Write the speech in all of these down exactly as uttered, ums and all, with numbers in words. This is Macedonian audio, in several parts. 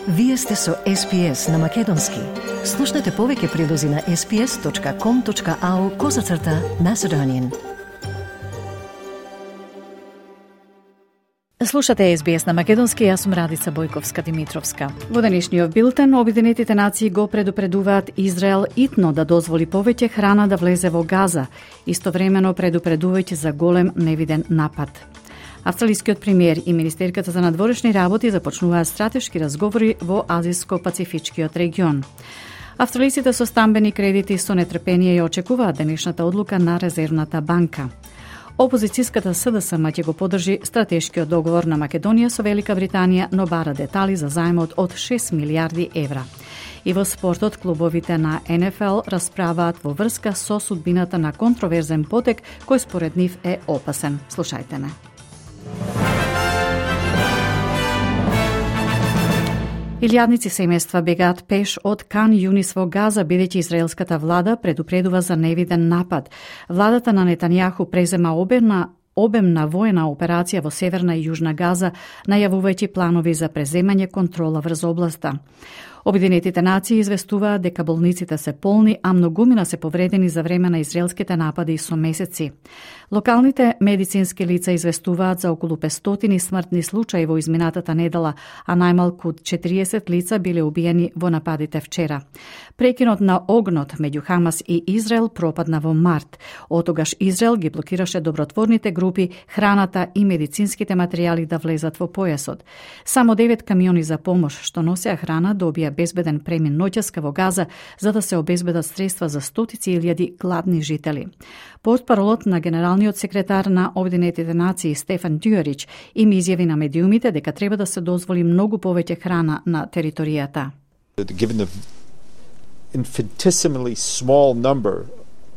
Вие сте со Ес Би Ес на Македонски. Слушнете повеќе прилози на ес би ес точка ком точка ау козацрта Macedonian. Слушате Ес Би Ес на Македонски, јас сум Радица Бојковска-Димитровска. Во денешниот билтен, Обединетите нации го предупредуваат Израел итно да дозволи повеќе храна да влезе во Газа, истовремено предупредувајќи за голем невиден напад. Австралискиот премиер и министерката за надворешни работи започнуваат стратешки разговори во Азиско-Пацифичкиот регион. Австралиците со стамбени кредити со нетрпение ја очекуваат денешната одлука на Резервната банка. Опозицијската Ес Ди Ес Ем ќе го поддржи стратешкиот договор на Македонија со Велика Британија, но бара детали за заемот од шест милијарди евра. И во спортот, клубовите на Ен Еф Ел расправаат во врска со судбината на контроверзен потек кој според нив е опасен. Слушајте ме. Илјадници семејства бегаат пеш од Кан Юнис во Газа, бидејќи израелската влада предупредува за невиден напад. Владата на Нетањаху презема обемна обемна воена операција во Северна и Јужна Газа, најавувајќи планови за преземање контрола врз областа. Обединетите нации известуваат дека болниците се полни, а многумина се повредени за време на израелските напади со месеци. Локалните медицински лица известуваат за околу петстотини смртни случаи во изминатата недела, а најмалку четириесет лица биле убиени во нападите вчера. Прекинот на огнот меѓу Хамас и Израел пропадна во март. Отогаш Израел ги блокираше добротворните групи, храната и медицинските материјали да влезат во појасот. Само девет камиони за помош што носеа храна добија безбеден премин ноќеска во Газа за да се обезбедат средства за стотици илјади гладни жители. Портпаролот на генералниот секретар на Обединетите нации Стефан Дюерич им изјави на медиумите дека треба да се дозволи многу повеќе храна на територијата. Given the infinitesimally small number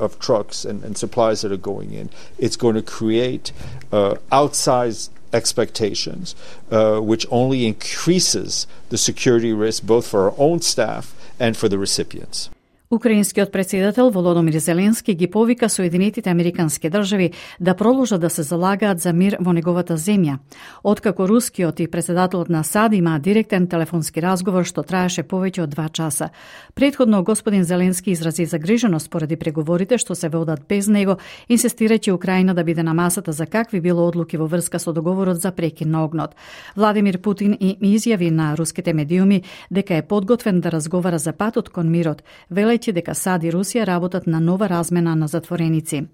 of trucks and, and supplies that are going in, it's going to create uh, outsized expectations, uh, which only increases the security risk both for our own staff and for the recipients. Украинскиот председател Володомир Зеленски ги повика Соединетите Американски држави да продолжат да се залагаат за мир во неговата земја. Откако рускиот и председателот на САД имаа директен телефонски разговор што траеше повеќе од два часа. Предходно господин Зеленски изрази загриженост поради преговорите што се водат без него, инсистирајќи Украина да биде на масата за какви било одлуки во врска со договорот за прекин на огнот. Владимир Путин и изјави на руските медиуми дека е подготвен да разговара за патот кон мирот, велејќи дека САД и Русија работат на нова размена на затвореници.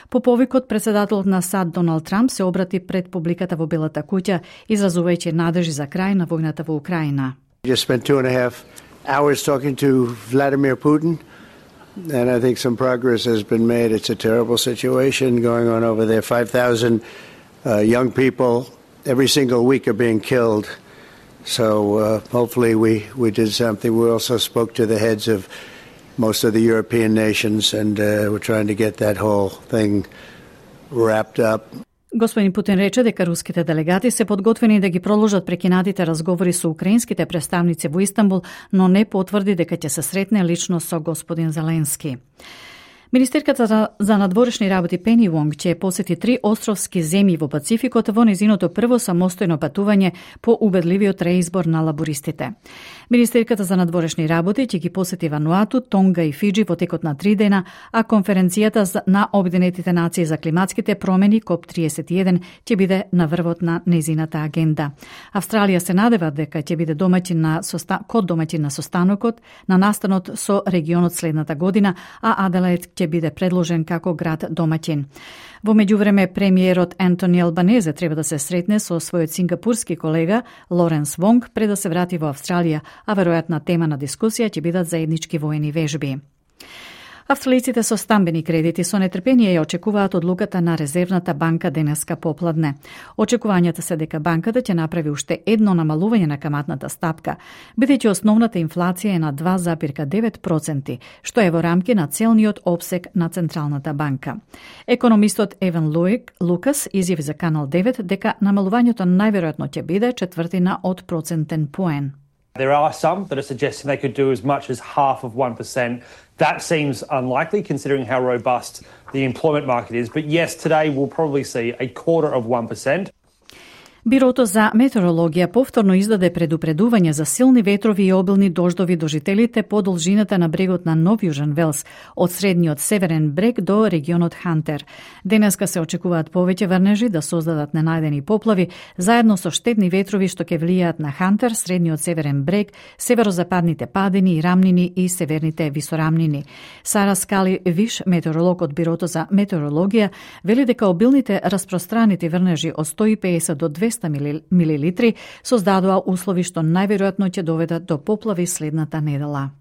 По повикот, председателот на САД Доналд Трамп се обрати пред публиката во Белата куќа, изразувајќи надежи за крај на војната во Украина. Just spent two and a half hours talking to Vladimir Putin, and I think some progress has been made. It's a terrible situation going on over there. five thousand uh, young people every single week are being killed. So uh, hopefully we, we did something. We also spoke to the heads of most of the European nations, and uh, we're trying to get that whole thing wrapped up. Господин Путин рече дека руските делегати се подготвени да ги продолжат прекинатите разговори со украинските представници во Истанбул, но не потврди дека ќе се сретне лично со господин Зеленски. Министерката за надворешни работи Пени Вонг ќе посети три островски земји во Пацификот во незиното прво самостојно патување по убедливиот реизбор на лабористите. Министерката за надворешни работи ќе ги посети Вануату, Тонга и Фиджи во текот на три дена, а конференцијата на Обединетите нации за климатските промени коп триесет и еден ќе биде на врвот на незината агенда. Австралија се надева дека ќе биде домаќин на соста... код домаќин на состанокот на настанот со регионот следната година, а Аделаид ќе биде предложен како град домаќин. Во меѓувреме, премиерот Ентони Албанезе треба да се сретне со својот сингапурски колега Лоренс Вонг пред да се врати во Австралија, а веројатна тема на дискусија ќе бидат заеднички воени вежби. Австралиците со стамбени кредити со нетрпение ја очекуваат одлуката на Резервната банка денеска попладне. Очекувањата се дека банката ќе направи уште едно намалување на каматната стапка, бидејќи основната инфлација е на два зарез девет проценти, што е во рамки на целниот опсег на Централната банка. Економистот Еван Луик Лукас изјави за Канал девет дека намалувањето најверојатно ќе биде четвртина од процентен поен. There are some that are suggesting they could do as much as half of one percent. That seems unlikely considering how robust the employment market is. But yes, today we'll probably see a quarter of one percent. Бирото за метеорологија повторно издаде предупредување за силни ветрови и обилни дождови до жителите по должината на брегот на Нов Јужен Велс, од средниот северен брег до регионот Хантер. Денеска се очекуваат повеќе врнежи да создадат ненајдени поплави, заедно со штетни ветрови што ќе влијаат на Хантер, средниот северен брег, северозападните падини и рамнини и северните висорамнини. Сара Скали Виш, метеоролог од Бирото за метеорологија, вели дека обилните распространети врнежи од сто и педесет до двесте милилитри создадоа услови што најверојатно ќе доведат до поплави следната недела.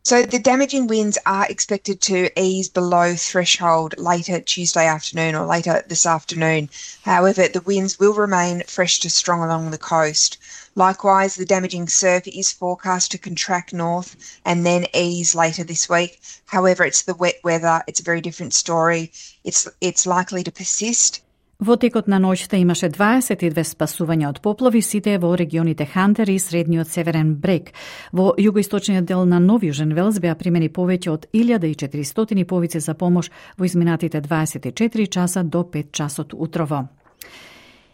So the damaging winds are expected to ease below threshold later Tuesday afternoon or later this afternoon. However, the winds will remain fresh to strong along the coast. Likewise, the damaging surf is forecast to contract north and then ease later this week. However, it's the wet weather. It's a very different story. It's, it's likely to persist. Во текот на ноќта имаше дваесет и две спасувања од поплави, сите во регионите Хантер и средниот северен брег. Во југоисточниот дел на Нов Јужен Велс беа примени повеќе од илјада и четиристотини повици за помош во изминатите дваесет и четири часа до пет часот утрово.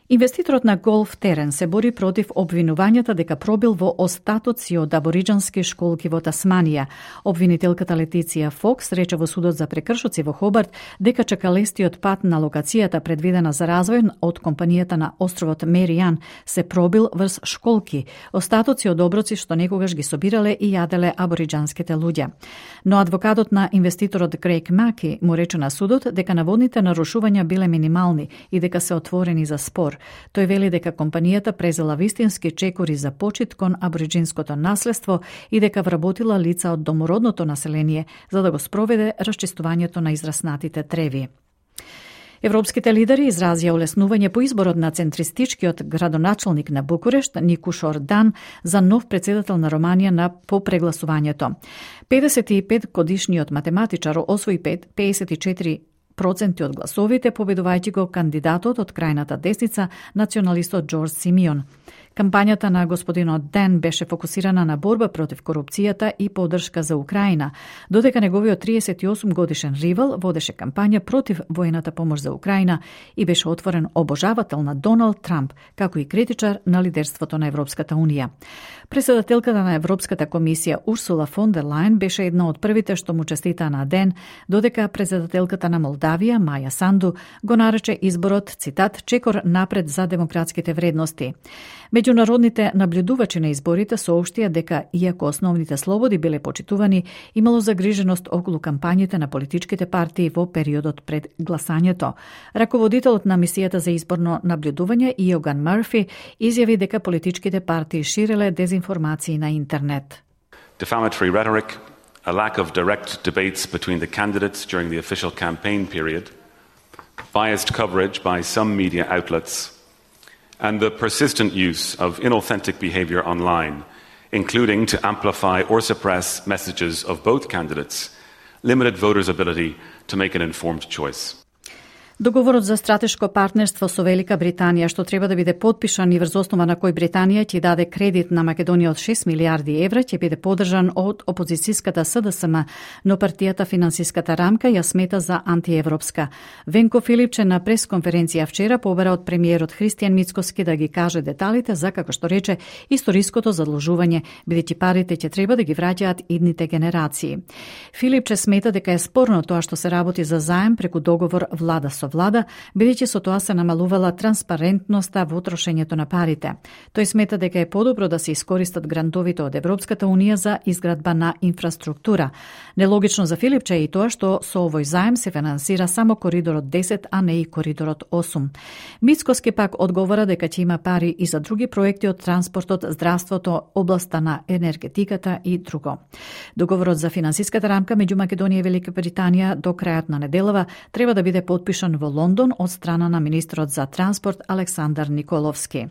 Инвеститорот на голф терен се бори против обвинувањата дека пробил во остатоци од абориџански школки во Тасманија. Обвинителката Летиција Фокс рече во судот за прекршоци во Хобарт дека чекалестиот пат на локацијата предвидена за развој од компанијата на островот Меријан се пробил врз школки, остатоци од оброци што некогаш ги собирале и јаделе абориџанските луѓе. Но адвокатот на инвеститорот Грег Маки му рече на судот дека наводните нарушувања биле минимални и дека се отворени за спор. Тој вели дека компанијата презела вистински чекори за почит кон абориџинското наследство и дека вработила лица од домородното население за да го спроведе расчистувањето на израснатите треви. Европските лидери изразија олеснување по изборот на центристичкиот градоначалник на Букурешт, Никуш Ордан, за нов председател на Романија на по прегласувањето. педесет и пет годишниот математичар освои педесет и четири проценти од гласовите, победувајќи го кандидатот од крајната десница, националистот Џорџ Симеон. Кампањата на господинот Ден беше фокусирана на борба против корупцијата и поддршка за Украина, додека неговиот триесет и осум годишен ривал водеше кампања против воената помош за Украина и беше отворен обожавател на Доналд Трамп, како и критичар на лидерството на Европската Унија. Председателката на Европската комисија Урсула фон дер Лајен беше една од првите што му честитаа на Ден, додека председателката на Молдавија Маја Санду го нарече изборот, цитат, чекор напред за демократските вредности. Меѓународните наблюдувачи на изборите соопштија дека, иако основните слободи биле почитувани, имало загриженост околу кампањите на политичките партии во периодот пред гласањето. Раководителот на мисијата за изборно наблюдување Иоган Мърфи изјави дека политичките партии ширеле дезинформации на интернет. Defamatory rhetoric, a lack of direct debates between the candidates during the official campaign period, biased coverage by some media outlets, and the persistent use of inauthentic behaviour online, including to amplify or suppress messages of both candidates, limited voters' ability to make an informed choice. Договорот за стратешко партнерство со Велика Британија, што треба да биде подпишан и врз основа на кој Британија ќе даде кредит на Македонија од шест милиарди евра, ќе биде поддржан од опозицијската С Д С М, но партијата Финансиската рамка ја смета за антиевропска. Венко Филипче на пресконференција вчера побара од премиерот Христијан Мицкоски да ги каже деталите за, како што рече, историското задлужување, бидејќи парите ќе треба да ги враќаат идните генерации. Филипче смета дека е спорно тоа што се работи за заем преку договор влада со влада, бидејќи со тоа се намалувала транспарентноста во трошењето на парите. Тој смета дека е подобро да се искористат грантовите од Европската Унија за изградба на инфраструктура. Нелогично за Филипче е и тоа што со овој заем се финансира само коридорот десет, а не и коридорот осум. Мицкоски пак одговора дека ќе има пари и за други проекти од транспортот, здравството, областа на енергетиката и друго. Договорот за финансиската рамка меѓу Македонија и Велика Британија до крајот на неделава треба да биде подпишан во Лондон од страна на министрот за транспорт Александар Николовски.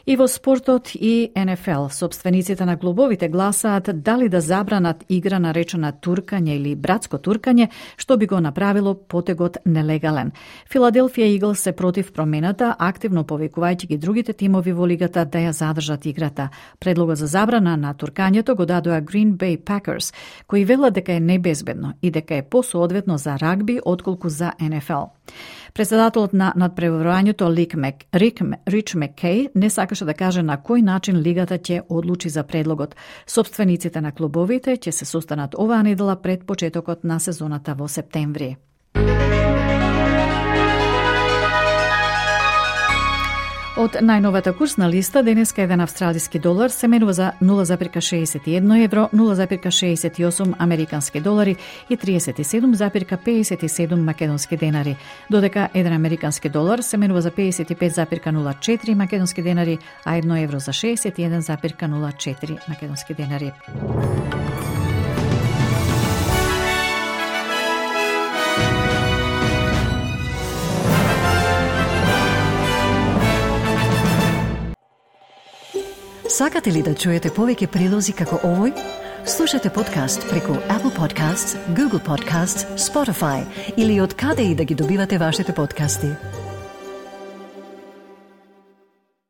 И во спортот и Н Ф Л, собствениците на клубовите гласаат дали да забранат игра наречена туркање или братско туркање, што би го направило потегот нелегален. Филаделфија Иглс се против промената, активно повикувајќи ги другите тимови во лигата да ја задржат играта. Предлогот за забрана на туркањето го дадоа Green Bay Packers, кои велат дека е небезбедно и дека е посоодветно за рагби отколку за Н Ф Л. Председателот на надпреварувањето Рик Мек, Рик, Рич Маккей не сакаше да каже на кој начин лигата ќе одлучи за предлогот. Собствениците на клубовите ќе се состанат оваа недела пред почетокот на сезоната во септември. Од најновата курсна листа, денеска еден австралиски долар се менува за нула запирка шеесет и едно евро, нула запирка шеесет и осум американски долари и триесет и седум запирка пеесет и седум македонски денари, додека еден американски долар се менува за пеесет и пет запирка нула четири македонски денари, а едно евро за шеесет и еден запирка нула четири македонски денари. Сакате ли да чуете повеќе прилози како овој? Слушате подкаст преку Apple Podcasts, Google Podcasts, Spotify или од каде и да ги добивате вашите подкасти.